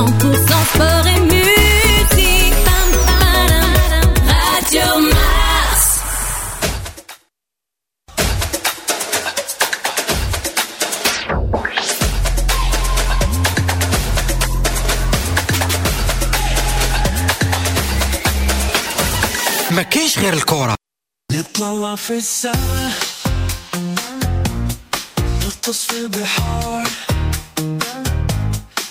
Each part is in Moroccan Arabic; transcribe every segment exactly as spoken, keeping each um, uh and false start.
cent pour cent sport et musique. Radio Mars. ما كاينش غير الكرة. نطلع في السما، نغطس في البحار،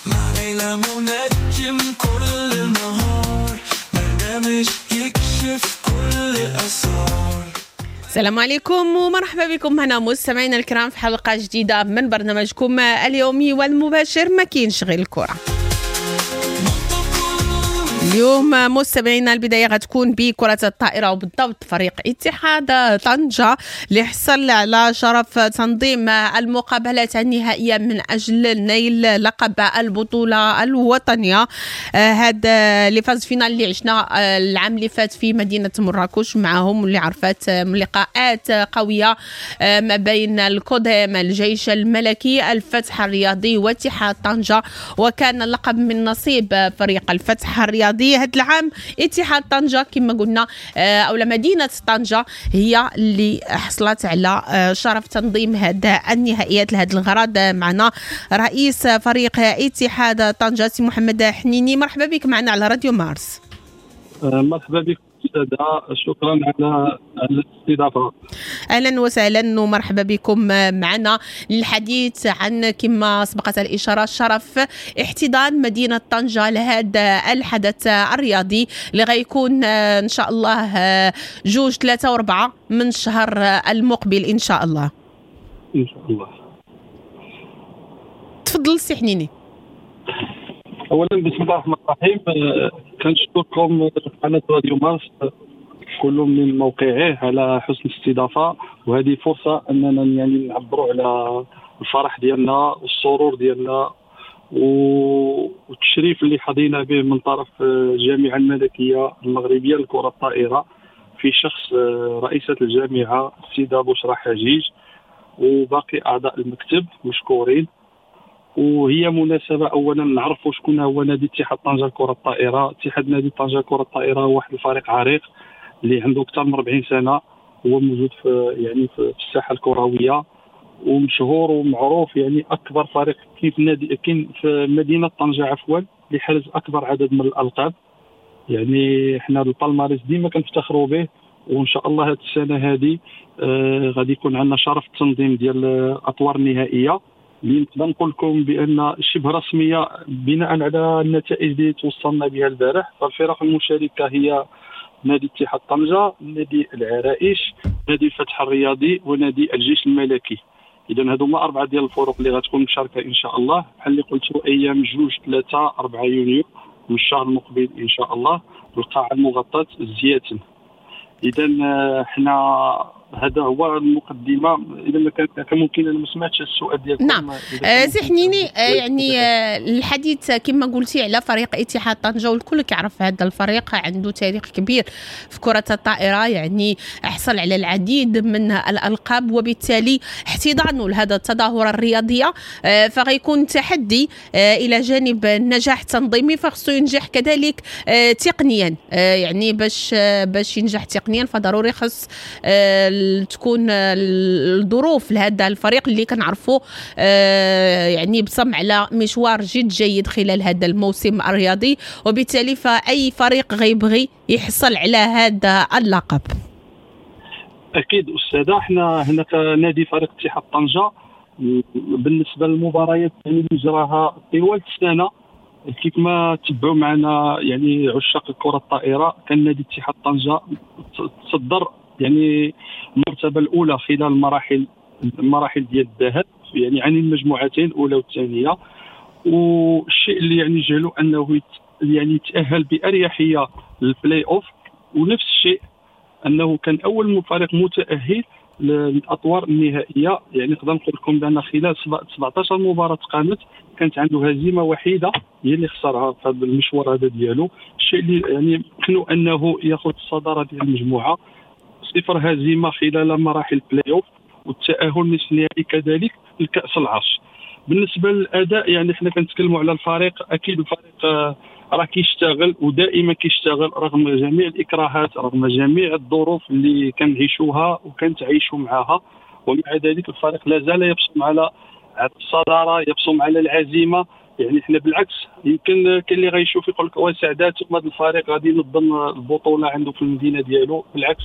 مع ليلى منجم كل النهار، برنامج يكشف كل الأسرار. السلام عليكم ومرحبا بكم هنا مستمعينا الكرام في حلقة جديدة من برنامجكم اليومي والمباشر ما كاينش غير الكرة. اليوم مستمعينا البداية غتكون بكرة الطائرة وبالضبط فريق اتحاد طنجة اللي حصل على شرف تنظيم المقابلات النهائية من أجل نيل لقب البطولة الوطنية. هذا les phases finales اللي عشنا العام اللي فات في مدينة مراكش معهم واللي عرفت لقاءات قوية ما بين الكوديم، الجيش الملكي، الفتح الرياضي واتحاد طنجة، وكان اللقب من نصيب فريق الفتح الرياضي. هذا العام اتحاد طنجة كما قلنا أو مدينة طنجة هي اللي حصلت على شرف تنظيم هذا النهائيات. لهذا الغرض معنا رئيس فريق اتحاد طنجة سي محمد حنيني، مرحبا بك معنا على راديو مارس. مرحبا بك أستاذة، شكرا على الاستضافة. أهلا وسهلا ومرحبا بكم معنا للحديث عن كما سبقت الإشارة شرف احتضان مدينة طنجة لهذا الحدث الرياضي اللي غيكون إن شاء الله جوج ثلاثة وأربعة من الشهر المقبل إن شاء الله. إن شاء الله. تفضل سي حنيني. أولا بسم الله الرحمن الرحيم، كنشكركم قناة راديو مارس كل من موقعه على حسن الاستضافة، وهذه فرصة أننا يعني نعبروا على الفرح ديالنا والسرور ديالنا والتشريف اللي حظينا به من طرف الجامعة الملكية المغربية لكرة الطائرة في شخص رئيسة الجامعة السيدة بشرى حجيج وباقي أعضاء المكتب مشكورين. وهي مناسبة أولا نعرفوا شكون هو نادي اتحاد طنجة لكرة الطائرة. اتحاد نادي طنجة لكرة الطائرة هو واحد الفريق عريق اللي عنده أكثر من أربعين سنة، هو موجود في يعني في الساحة الكروية ومشهور ومعروف، يعني أكبر فريق كاين في نادي كاين في مدينة طنجة عفوا اللي حرز أكبر عدد من الألقاب. يعني حنا ال palmarès ديما كنفتخروا به، وإن شاء الله هذه السنة هذه آه غادي يكون عندنا شرف التنظيم ديال الأطوار النهائية اللي نقدر نقول لكم بان شبه رسمية بناء على النتائج اللي توصلنا بها البارح. فالفرق المشاركة هي نادي اتحاد طنجه، نادي العرائش، نادي الفتح الرياضي، ونادي الجيش الملكي. اذا هادو هما اربعة ديال الفرق اللي غتكون مشاركة ان شاء الله بحال اللي قلت ايام جوج ثلاثة أربعة يونيو من الشهر المقبل ان شاء الله بالقاعه المغطاه الزياتن. اذا حنا هذا هو المقدمة. اذا ما كان ممكن انا ما سمعتش السؤال ديالكم. نعم سي حنيني، يعني الحديث كما قلتي على فريق اتحاد طنجه والكل كيعرف هذا الفريق عنده تاريخ كبير في كره الطائرة، يعني حصل على العديد من الالقاب، وبالتالي احتضانه لهذا التظاهرة الرياضية فغيكون تحدي الى جانب النجاح التنظيمي، فخصو ينجح كذلك تقنيا، يعني باش باش ينجح تقنيا فضروري خص تكون الظروف لهذا الفريق اللي كنعرفوا يعني بصم على مشوار جد جيد خلال هذا الموسم الرياضي، وبالتالي فأي فريق غيبغي يحصل على هذا اللقب. أكيد أستاذة، احنا هنا كنادي فريق اتحاد طنجة بالنسبة للمباريات اللي جراها طوال السنة كيف ما تبعوا معنا يعني عشاق الكرة الطائرة، كان نادي اتحاد طنجة تصدر يعني المرتبة الأولى خلال المراحل المراحل ديال الذهب، يعني عن المجموعتين الأولى والثانية. والشيء اللي يعني جعلوا أنه يعني تأهل بأريحية للبلاي أوف، ونفس الشيء أنه كان أول فريق متأهل للأطوار النهائية. يعني نقدر نقول لكم بأن خلال سبعة عشر مباراة قامت كانت عنده هزيمة وحيدة هي اللي خسرها في هذا المشوار هذا ديالو، الشيء اللي يعني يمكنه أنه ياخذ الصدارة ديال المجموعة، صفر هزيمة خلال مراحل البلاي أوف والتأهل نصف النهائي كذلك لكأس العرش. بالنسبة للاداء يعني حنا كنتكلموا على الفريق، اكيد الفريق راه كيشتغل ودائما كيشتغل رغم جميع الاكراهات، رغم جميع الظروف اللي كنعيشوها وكنتعيشوا معها، ومع ذلك الفريق لا زال يبصم على الصدارة، يبصم على العزيمة. يعني حنا بالعكس يمكن كاين اللي غيشوف يقول لك واه سعدات هذا الفريق غادي ينظم البطولة عنده في المدينة ديالو. بالعكس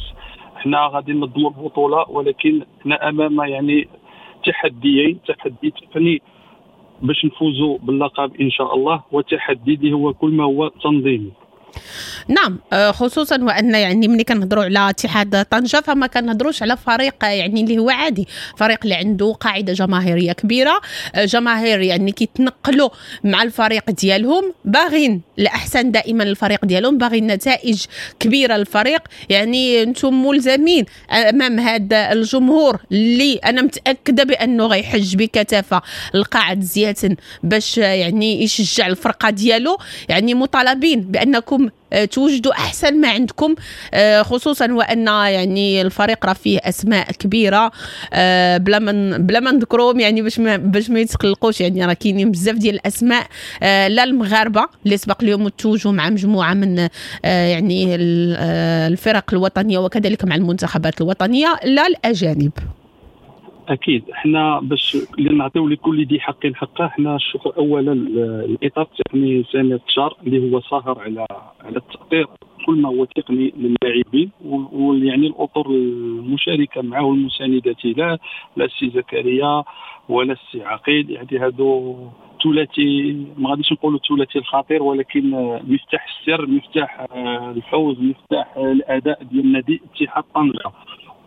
حنا غادي ننظموا البطولة، ولكن حنا امام يعني تحديين، تحدي تقني باش نفوزوا باللقب ان شاء الله، وتحدي اللي هو كل ما هو تنظيمي. نعم، خصوصا وان يعني ملي كنهضروا على اتحاد طنجة فما كنهضروش على فريق يعني اللي هو عادي، فريق اللي عنده قاعدة جماهيرية كبيرة، جماهير يعني كيتنقلوا مع الفريق ديالهم، باغين الاحسن دائما للفريق ديالهم، باغين نتائج كبيرة للفريق. يعني انتم ملزمين امام هذا الجمهور اللي انا متاكدة بانه غيحج بكثافة القاعة زياتن باش يعني يشجع الفرقة ديالو، يعني مطالبين بانكم توجدوا احسن ما عندكم، خصوصا وان يعني الفريق راه فيه اسماء كبيرة بلا ما بلا ما نذكرهم يعني باش ما باش ما يتقلقوش، يعني راه كاينين بزاف ديال الاسماء، لا المغاربة اللي سبق اليوم توجوا مع مجموعة من يعني الفرق الوطنية وكذلك مع المنتخبات الوطنية، لا الاجانب. اكيد حنا باش نعطيو لكل ذي حق حقه، حنا الشكر اولا الاطار التقني سامي التشار اللي هو ساهر على على التأطير كل ما هو تقني للاعبين، ويعني الاطر المشاركة معه المساندة له، لا السي زكريا ولا السي عقيل، يعني هادو ثلاثي ما غاديش نقولوا ثلاثي الخطير، ولكن مفتاح السر، مفتاح الفوز، مفتاح الاداء ديال نادي اتحاد طنجه.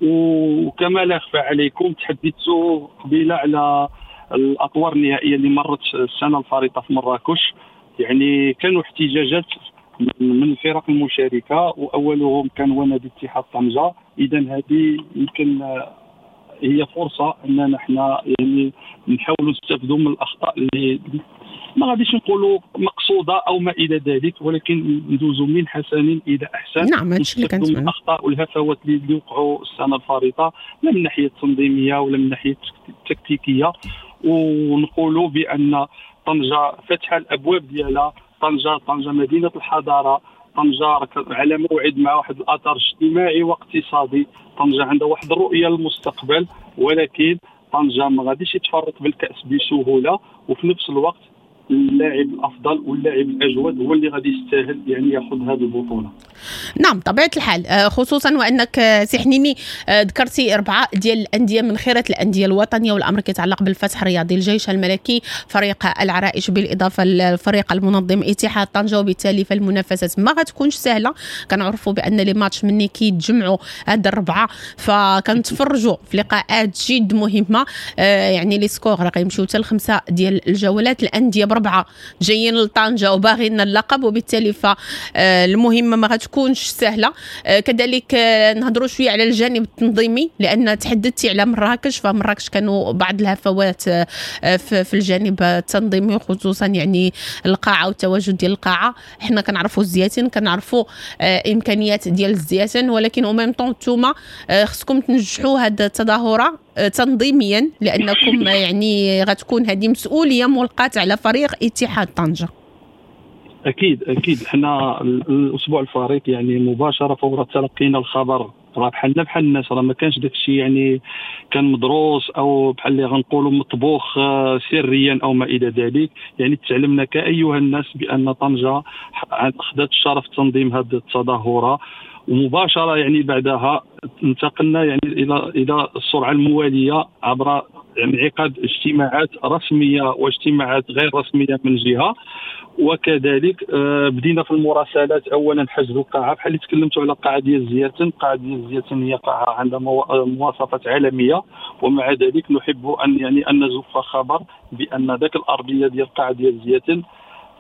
وكما لا يخفى عليكم تحدثوا قبيلة على الاطوار النهائية اللي مرت السنة الفارطه في مراكش، يعني كانوا احتجاجات من الفرق المشاركة واولهم كان هو نادي اتحاد طنجه. اذا هذه يمكن هي فرصة اننا حنا يعني نحاولوا نستافدوا من الاخطاء اللي ما غاديش نقولوا مقصوده او ما الى ذلك، ولكن ندوزوا من حسن الى احسن. نعم، هادشي اللي كنتمنى. الاخطاء والهفوات اللي وقعوا السنة الفارطه لا من الناحية التنظيمية ولا من الناحية التكتيكيه، ونقولوا بان طنجه فتح الابواب ديالها، طنجه طنجه مدينة الحضارة، طنجه على موعد مع واحد الاثر اجتماعي واقتصادي، طنجه عندها واحد الرؤية للمستقبل، ولكن طنجه ما غاديش يتفرط بالكاس بسهولة، وفي نفس الوقت اللاعب الافضل واللاعب الاجود هو اللي غادي يستاهل يعني ياخذ هذه البطولة. نعم طبيعة الحال، خصوصا وانك سي حنيني ذكرتي اربعة ديال الاندية من خيره الاندية الوطنية، والامر كيتعلق بالفتح الرياضي، الجيش الملكي، فريق العرائش، بالاضافة للفريق المنظم اتحاد طنجه، وبالتالي فالمنافسات ما غتكونش سهلة. كنعرفوا بان les matchs مني كيتجمعوا هاد الربعه فكنتفرجوا في لقاءات جد مهمة، يعني les scores راه غيمشيو حتى لخمسة ديال الجولات. الاندية بربعه جايين لطنجه وباغيين اللقب، وبالتالي فالمهمه ما غتكونش سهلة. كذلك نهضروا شوية على الجانب التنظيمي، لان تحدثتي على مراكش، فمراكش كانوا بعض الهفوات في الجانب التنظيمي، خصوصا يعني القاعة والتواجد ديال القاعة. حنا كنعرفوا الزياتين، كنعرفوا امكانيات ديال الزياتين، ولكن au même temps نتوما خصكم تنجحوا هذه التظاهرة تنظيميا، لانكم يعني غتكون هذه مسؤولية ملقاة على فريق اتحاد طنجه. اكيد اكيد حنا الاسبوع الفارط يعني مباشرة فور تلقينا الخبر، راه بحالنا بحال الناس، راه ما كانش داك الشيء يعني كان مدروس او بحال اللي غنقولوا مطبوخ سريا او ما الى ذلك. يعني تعلمنا كايها الناس بان طنجه اخذت الشرف تنظيم هذه التظاهرة، ومباشرة يعني بعدها انتقلنا يعني الى الى السرعة الموالية عبر انعقاد اجتماعات رسمية واجتماعات غير رسمية من جهة، وكذلك بدينا في المراسلات. اولا حجز القاعة، بحال اللي تكلمتوا على القاعة ديال الزياتن، القاعة ديال الزياتن هي قاعة عندها مواصفات عالمية، ومع ذلك نحب ان يعني ان نزف خبر بان ذاك الارضية ديال القاعة ديال الزياتن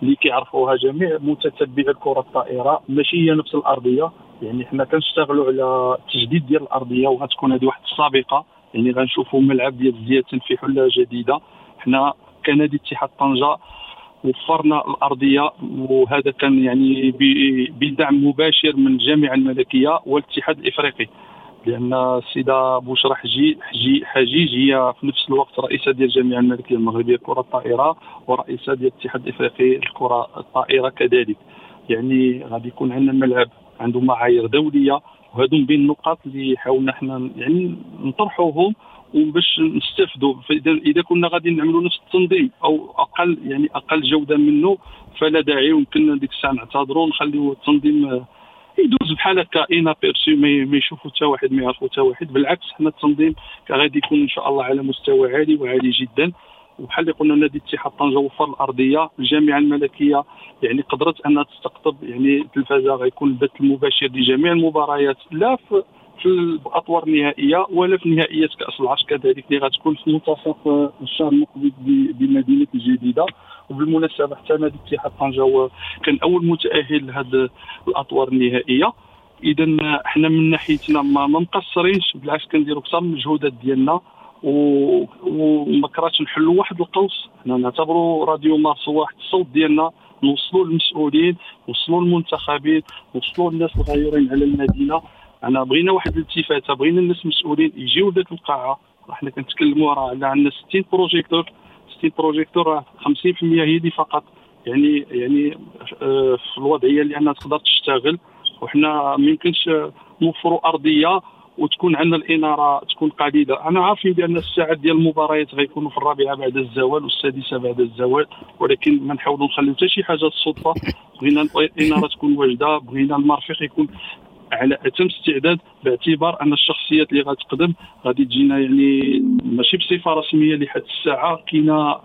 اللي كيعرفوها جميع متتبعي الكره الطائرة ماشي هي نفس الارضية. يعني حنا كنشتغلوا على التجديد ديال الارضية، وغتكون هذه واحد السابقة، يعني غنشوفوا ملعب ديال الزياتن في حله جديدة. حنا كنادي اتحاد طنجه وفرنا الارضية، وهذا كان يعني بدعم مباشر من الجامعة الملكية والاتحاد الافريقي، لان السيدة بشرى حجي حجيج هي في نفس الوقت رئيسه ديال الجامعة الملكية المغربية لكرة الطائرة ورئيسه ديال الاتحاد الافريقي لكرة الطائرة كذلك. يعني غادي يكون عندنا ملعب عنده معايير دولية، وهادو من بين النقاط اللي حاولنا حنا يعني نطرحوهم وباش نستافدوا. فاذا اذا كنا غادي نعملوا نفس التنظيم او اقل، يعني اقل جوده منه، فلا داعي، ويمكن ديك الساعة نعتذروا ونخليو التنظيم يدوز بحال هكا inaperçu، ما يشوفوا حتى واحد، ما يعرفوا حتى واحد. بالعكس حنا التنظيم غادي يكون ان شاء الله على مستوى عالي وعالي جدا. وبحال اللي قلنا نادي اتحاد طنجه وفر الارضية، الجامعة الملكية يعني قدرت انها تستقطب يعني التلفازه، غيكون البث المباشر لجميع المباريات لا في في الاطوار النهائية ولا في نهائيات كاس العرش كذلك اللي غتكون في منتصف الشهر المقبل بمدينة الجديدة. وبالمناسبة حتى نادي اتحاد طنجه كان اول متاهل لهذه الاطوار النهائية. اذا حنا من ناحيتنا ما مقصرينش، بالعكس كنديروا اكثر من المجهودات ديالنا وما كرهتش نحلوا واحد القوس. حنا نعتبروا راديو مارس واحد الصوت ديالنا، نوصلوا للمسؤولين، نوصلوا للمنتخبين، نوصلوا للناس الغيورين على المدينة. انا بغينا واحد الالتفاته، بغينا الناس المسؤولين يجيو لذاك القاعة. حنا كنتكلموا راه على عندنا ستين projecteurs، ستين projecteurs راه خمسين بالمية هي اللي فقط يعني يعني في الوضعية اللي انها تقدر تشتغل. وحنا ما يمكنش نوفروا ارضية وتكون عندنا الاناره تكون قليله. انا عارفين بان الساعات ديال المباريات غيكونوا في الرابعة بعد الزوال والسادسه بعد الزوال، ولكن ما نحاولوا نخليو حتى شي حاجة الصدفة. بغينا الاناره تكون واجدة، بغينا المرافق يكون على اتم استعداد، باعتبار ان الشخصيات اللي غتقدم غادي تجينا يعني ماشي بصفة رسمية لحد الساعة. كاينه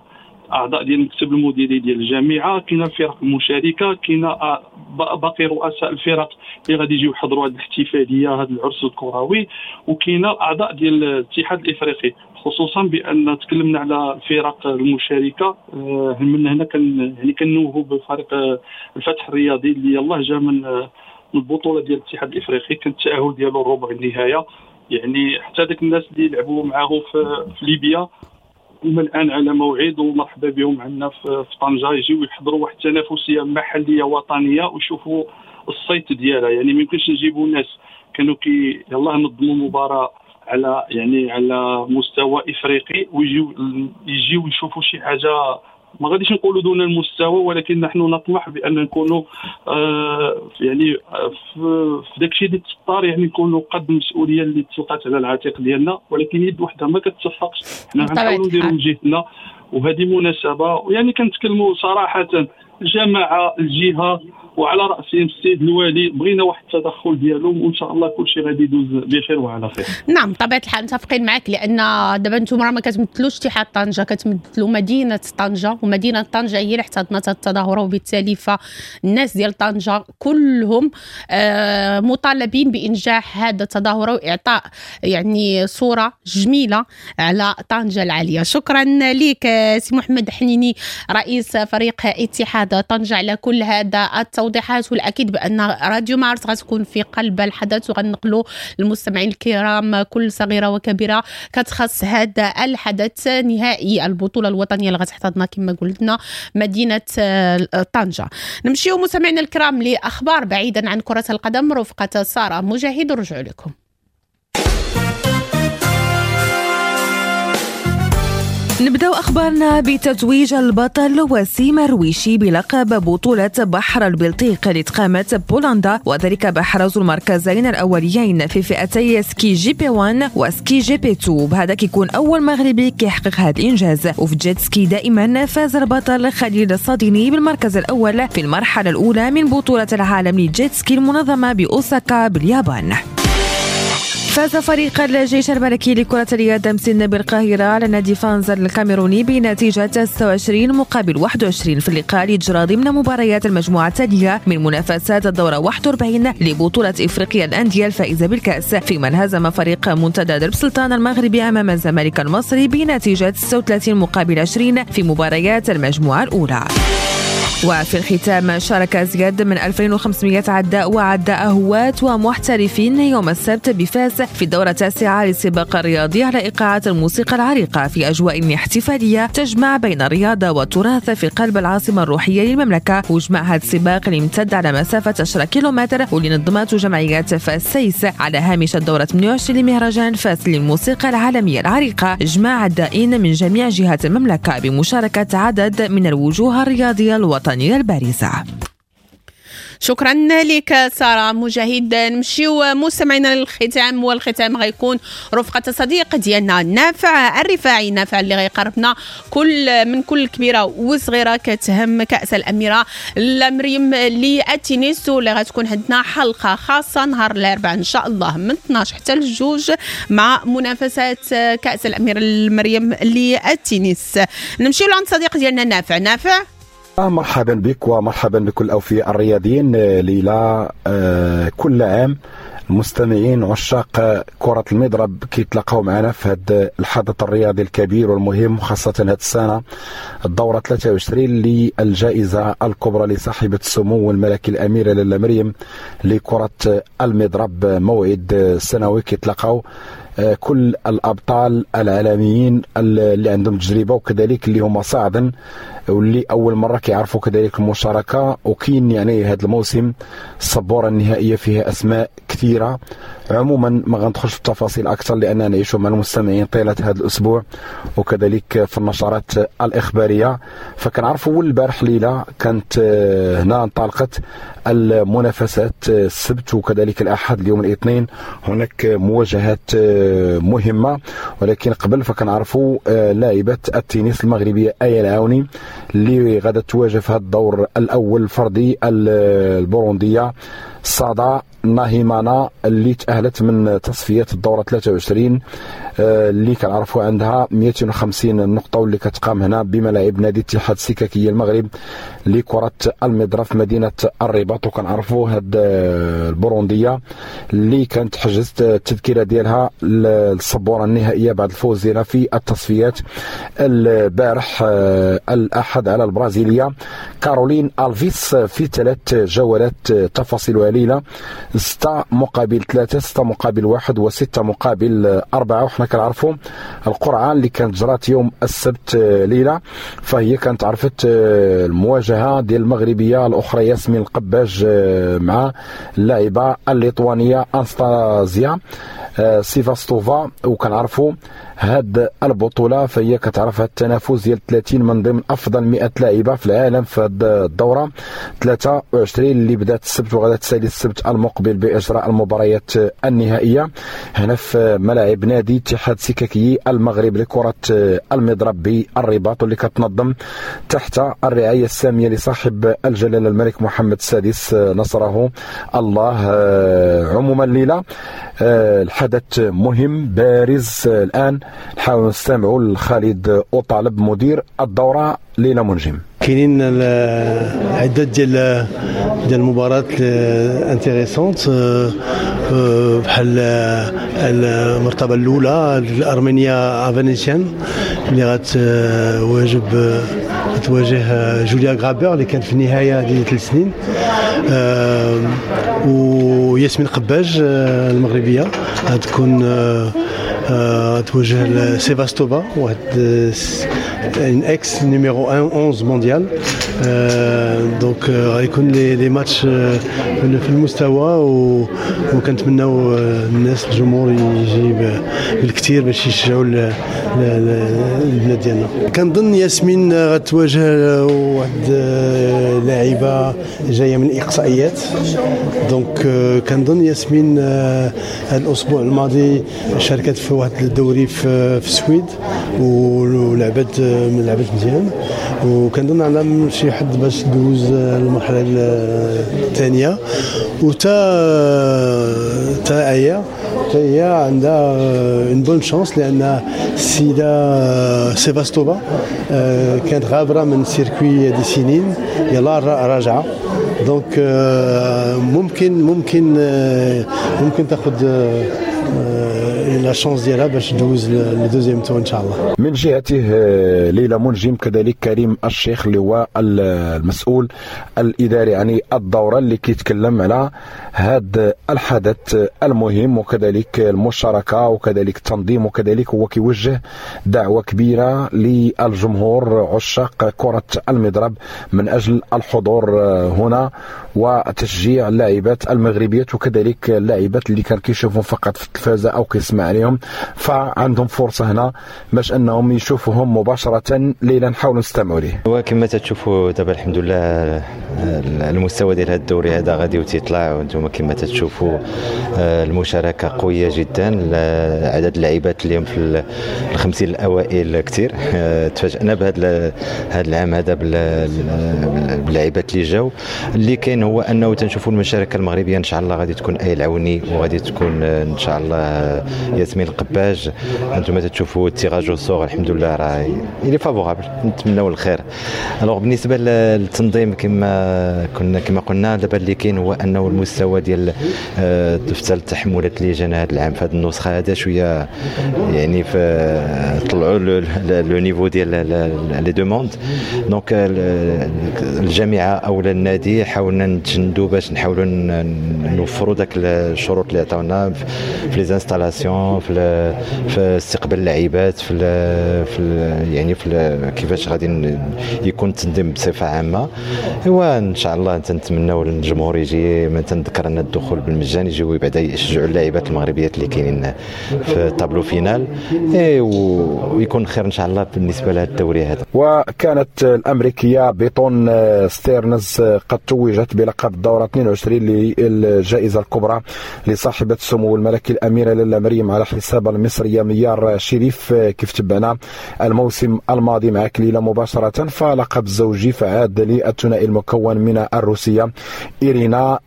اعضاء ديال المكتب المديري ديال الجامعة، كاينه الفرق المشاركة، كاينه باقي رؤساء الفرق اللي غادي يجيو يحضروا هذه الاحتفالية، هذا العرس الكروي، وكاينه الاعضاء ديال الاتحاد الافريقي. خصوصا بان تكلمنا على الفرق المشاركة، من هنا كان يعني كنوهوا بفريق الفتح الرياضي اللي يلاه جا من البطولة ديال الاتحاد الافريقي، كان التاهل ديالو الربع النهاية. يعني حتى داك الناس اللي لعبوا معاهم في, في ليبيا هما الان على موعد، ومرحبا بهم عندنا في طنجه، يجيو يحضروا واحد التنافسية محليه وطنية ويشوفوا الصيت ديالها. يعني ما يمكنش نجيبوا ناس كانوا كي يلاه نظموا مباراة على يعني على مستوى افريقي ويجيو يجيو يشوفوا شي حاجة ما غاديش نقولوا دون المستوى، ولكن نحن نطمح بان نكونوا آه يعني في, في داكشي اللي تطار، يعني نكونوا قد المسؤولية اللي تلقات على العاتق ديالنا. ولكن يد وحده ما كتصفقش، حنا غنحاولوا نديروا من جهتنا، وهذه مناسبة. ويعني كنتكلموا صراحة الجماعة، الجهة، وعلى راسهم السيد الوالي، بغينا واحد التدخل ديالهم وان شاء الله كل شيء غادي يدوز بخير وعلى خير. نعم بطبيعة الحال متفقين معك، لان دابا انتم راه ما كتمثلوش اتحاد طنجه، كتمثلوا مدينة طنجه، ومدينة طنجه هي اللي احتضنت التظاهرة، وبالتالي فالناس ديال طنجه كلهم مطالبين بانجاح هذا التظاهرة واعطاء يعني صوره جميلة على طنجه العالية. شكرا لك سي محمد حنيني رئيس فريق اتحاد طنجه على كل هذا التوضيحات، والاكيد بان راديو مارس غتكون في قلب الحدث وغنقلوا للمستمعين الكرام كل صغيرة وكبيره كتخص هذا الحدث نهائي البطولة الوطنية اللي غتحتضنها كما قلنا مدينة طنجه. نمشيو مستمعينا الكرام لاخبار بعيدا عن كره القدم رفقه ساره مجاهد، ورجعوا لكم. نبدأ أخبارنا بتتويج البطل وسيم الرويشي بلقب بطولة بحر البلطيق اللي تقامت بولندا، وذلك بحرز المركزين الأوليين في فئتي ski GP واحد و ski GP اثنين. بهذا كيكون أول مغربي كيحقق هذا الإنجاز. وفي jet ski دائما فاز البطل خليل الصاديني بالمركز الأول في المرحلة الأولى من بطولة العالم لل jet ski المنظمة بأوساكا باليابان. فاز فريق الجيش الملكي لكرة اليد مسن بالقاهرة على نادي فانزر الكاميروني بنتيجة ستة وعشرين مقابل واحد وعشرين في اللقاء اللي جرى ضمن مباريات المجموعة التالية من منافسات الدورة واحد وأربعين لبطولة إفريقيا الأندية الفائزة بالكأس، فيما انهزم فريق منتدى درب سلطان المغربي أمام الزمالك المصري بنتيجة ستة وثلاثين مقابل عشرين في مباريات المجموعة الأولى. وفي الختام، شارك أزيد من ألفين وخمسمئة عداء وعداء هواة ومحترفين يوم السبت بفاس في الدورة التاسعة للسباق الرياضي على إيقاعات الموسيقى العريقة في أجواء احتفالية تجمع بين الرياضة والتراث في قلب العاصمة الروحية للمملكة. وجمع هذا السباق اللي امتد على مسافة عشرة كيلومتر واللي نظمته جمعية فاس سيس على هامش الدورة ثمانية وعشرين لمهرجان فاس للموسيقى العالمية العريقة، جمع عدائين من جميع جهات المملكة بمشاركة عدد من الوجوه الرياضية الوطنية البارزة. شكرا لك سارة مجاهد. نمشيو مستمعينا للختام، والختام غيكون رفقة صديق ديالنا نافع الرفاعي، نافع اللي غيقربنا كل من كل كبيرة وصغيرة كتهم كأس الأميرة لمريم للتنس، واللي غتكون عندنا حلقة خاصة نهار الأربعاء إن شاء الله من اثناش حتى الجوج مع منافسات كأس الأميرة لمريم للتنس. نمشيو لعند صديق ديالنا نافع. نافع، مرحبا بك ومرحبا بكل الأوفياء الرياضيين. ليلى، كل عام المستمعين عشاق كرة المضرب كيتلاقاو معنا في هذا الحدث الرياضي الكبير والمهم، خاصة هذه السنة الدورة ثلاثة وعشرين للجائزة الكبرى لصاحبة السمو الملكي الأميرة لاله مريم لكرة المضرب. موعد سنوي كيتلاقاو كل الأبطال العالميين اللي عندهم تجربة وكذلك اللي هما صاعدا واللي أول مرة كيعرفوا كذلك المشاركة. وكاين يعني هذا الموسم السبورة النهائية فيها أسماء كثيرة. عموما ما غندخلش في التفاصيل أكثر لأننا نعيش مع المستمعين طيلة هذا الأسبوع وكذلك في النشرات الإخبارية. فكنعرفوا البارح ليلة كانت هنا انطلقت المنافسات السبت وكذلك الأحد، اليوم الاثنين هناك مواجهات مهمة. ولكن قبل فكنعرفوا لاعبة التنس المغربية آية العوني اللي غادا تواجه في هذا الدور الأول الفردي البوروندية صادا ناهيمانا اللي تأهلت من تصفيات الدورة ثلاثة وعشرين اللي كنعرفوا عندها مئتين وخمسين نقطة واللي كتقام هنا بملاعب نادي اتحاد السككية المغرب لكرة المضرب في مدينة الرباط. وكنعرفوا هاد البوروندية اللي كانت حجزت التذكرة ديالها للسبورة النهائية بعد الفوز ديالها في التصفيات البارح الأحد على البرازيلية كارولين ألفيس في ثلاث جولات تفاصيلها ليلة ستة مقابل ثلاثة، ستة مقابل واحد، وستة مقابل أربعة. وحنا كنعرفوا القرعة اللي كانت جرات يوم السبت ليلة، فهي كانت عرفت المواجهة ديال المغربية الأخرى ياسمين القباج مع اللاعبة الليتوانية أنستازيا سيفاستوفا. وكنعرفوا هاد البطولة فهي كتعرف التنافس ديال ثلاثين من ضمن أفضل مئة لاعبة في العالم في هاد الدورة ثلاثة وعشرين اللي بدات السبت وغادا تسالي السبت المقبل بإجراء المباريات النهائية هنا في ملاعب نادي اتحاد سككي المغرب لكرة المضرب بالرباط، واللي كتنظم تحت الرعاية السامية لصاحب الجلالة الملك محمد السادس نصره الله. عموما الليلة الحدث مهم بارز. الآن نحاول نستمعوا لخالد أوطالب مدير الدورة ليلى منجم. كاينين عدة ديال ديال المباريات intéressantes بحال المرتبة الأولى الأرمينية أفانيسيان اللي غتواجب تواجه جوليا غرابر اللي كانت في النهاية ديال ثلاث سنين، وياسمين قباج المغربية غتكون تواجه سيفاستوفا واحد une ex numéro onze mondial. donc غيكون les les matchs في المستوى، وكنتمناو الناس الجمهور يجي بالكثير باش يشجعوا البلاد ديالنا. كنظن ياسمين غتواجه واحد لاعبه جاية من الاقصائيات، donc كنظن ياسمين هذا الاسبوع الماضي شاركت في واحد الدوري في السويد ولعبت من لعبت مزيان، وكنظن عندها شي حد باش تدوز المرحلة الثانية. وتا تا هي تا هي عندها une bonne chance لان السيدة سيفاستوفا كانت غابره من circuit دي سنين، يلا راجعه، donc ممكن ممكن ممكن تاخذ la chance ديالها باش دوز le deuxième tour ان شاء الله. من جهته ليلى منجم كذلك كريم الشيخ اللي هو المسؤول الاداري يعني الدورة اللي كيتكلم على هذا الحدث المهم وكذلك المشاركة وكذلك التنظيم، وكذلك هو كيوجه دعوه كبيرة للجمهور عشاق كره المضرب من اجل الحضور هنا وتشجيع اللاعبات المغربيات وكذلك اللاعبات اللي كان كيشوفهم فقط في التلفازه او كيسمع عليهم، فعندهم فرصة هنا باش انهم يشوفوهم مباشرة. ليلى نحاولوا نستمعوا ليه. وكما تتشوفوا دابا الحمد لله المستوى ديال هذا الدوري هذا غادي وتيطلع، وانتم كما تتشوفوا المشاركة قوية جدا، عدد اللاعبات اليوم في الخمسين الاوائل كثير. تفاجئنا بهذا هذا العام هذا باللاعبات اللي جاو. اللي كاين هو انه تنشوفوا المشاركة المغربية ان شاء الله غادي تكون اي العوني وغادي تكون ان شاء الله ياسمين القباج. انتم تتشوفوا ال tirage au sort الحمد لله راه il est favorable، نتمناو الخير. alors بالنسبة للتنظيم كما كنا كما قلنا دابا اللي كاين هو انه المستوى ديال دفتر التحملات اللي جانا هذا العام في هذه النسخة هذا شوية يعني في طلعوا le niveau ديال les demandes. donc الجامعة او النادي حاولنا نتجندوا باش نحاولوا نوفروا داك الشروط اللي عطاونا في les installations، في في استقبال اللاعبات، في في يعني في كيفاش غادي يكون التنظيم بصفة عامة. وان شاء الله تنتمناو للجمهور يجي، ما تنذكر ان الدخول بالمجان، يجيو بعدا يشجعوا اللاعبات المغربيات اللي كاينين في tableau final، ويكون خير ان شاء الله بالنسبة لهذا الدوري هذا. وكانت الامريكية بيتون ستيرنز قد توجت بلقب الدورة اثنين وعشرين للجائزه الكبرى لصاحبه السمو الملكي الاميرة لاله مريم على حساب المصرية ميار شريف، كيف تبعنا الموسم الماضي مع كليلة مباشرة. فلقب الزوجي فعاد للثنائي المكون من الروسية إيرينا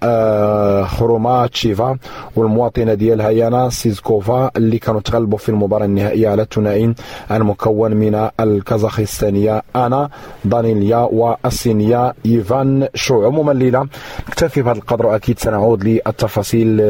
خروماتشيفا والمواطنه ديالها يانا سيزكوفا اللي كانوا تغلبوا في المباراة النهائية على الثنائي المكون من الكازاخستانيه انا دانيليا والصينيه ايفان شو. عموما ليلى نكتفي بهذا القدر، واكيد سنعود للتفاصيل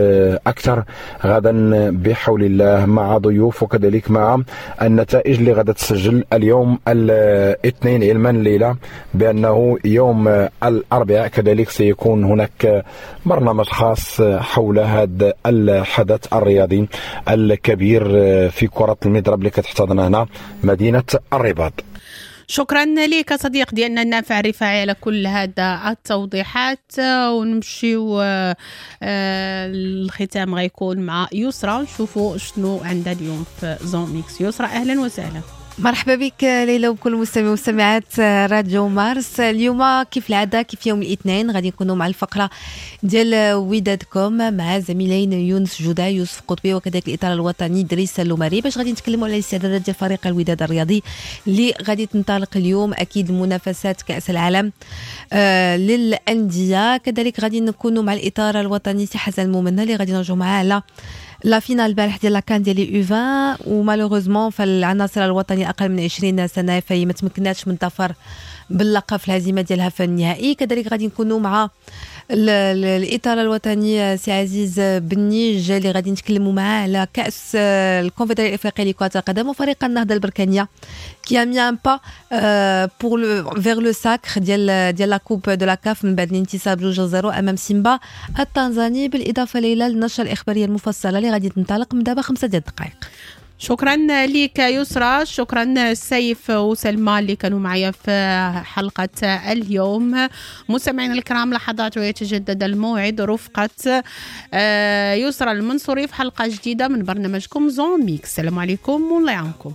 اكثر غدا بحول الله مع ضيوف وكذلك مع النتائج اللي غدا تسجل اليوم الاثنين، علما ليلى بانه يوم الاربعاء كذلك سيكون هناك برنامج خاص حول هذا الحدث الرياضي الكبير في كرة المضرب اللي كتحتضن هنا مدينة الرباط. شكرا لك صديق ديالنا النافع الرفاعي على كل هذا التوضيحات، ونمشيو الختام غيكون مع يسرى نشوفوا شنو عندها اليوم في Zone Mix. يسرى اهلا وسهلا. مرحبا بك ليلى وبكل المستمعين والمستمعات راديو مارس. اليوم كيف العادة كيف يوم الاثنين غادي نكونوا مع الفقرة ديال ودادكم مع زميلين يونس جودا يوسف قطبي وكذلك الاطار الوطني دريس اللوماري باش غادي نتكلموا على الاستعدادات ديال فريق الوداد الرياضي اللي غادي تنطلق اليوم اكيد منافسات كاس العالم آه للاندية. كذلك غادي نكونوا مع الاطار الوطني سي حسن المؤمن اللي غادي نرجعوا معاه على la finale البارح ديال la CAN ديال les U vingt و malheureusement فالعناصر الوطني اقل من عشرين سنة فهي ما تمكناتش من الظفر باللقب في الهزيمة ديالها في النهائي. كذلك غادي نكونوا مع الاطار الوطني سي عزيز بنيج اللي غادي نتكلموا معاه على كاس الكونفدراليه الافريقية لكرة القدم وفريق النهضة البركانيه qui a mis un pas pour le vers le sacre ديال ديال la coupe de la CAF من بعد الانتصار بجوج زيرو امام سيمبا التنزاني. بالاضافة ليلى للنشره الاخبارية المفصلة اللي غادي تنطلق من دابا خمسة ديال الدقائق. شكرا لك يسرى، شكرا سيف وسلمى اللي كانوا معايا في حلقة اليوم. مستمعينا الكرام لحظات ويتجدد الموعد رفقة يسرى المنصوري في حلقة جديدة من برنامجكم Zone Mix. السلام عليكم والله يعاونكم.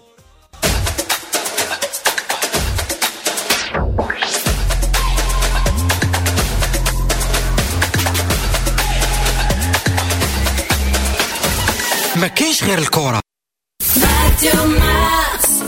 ما كاينش غير الكرة. راديو مارس.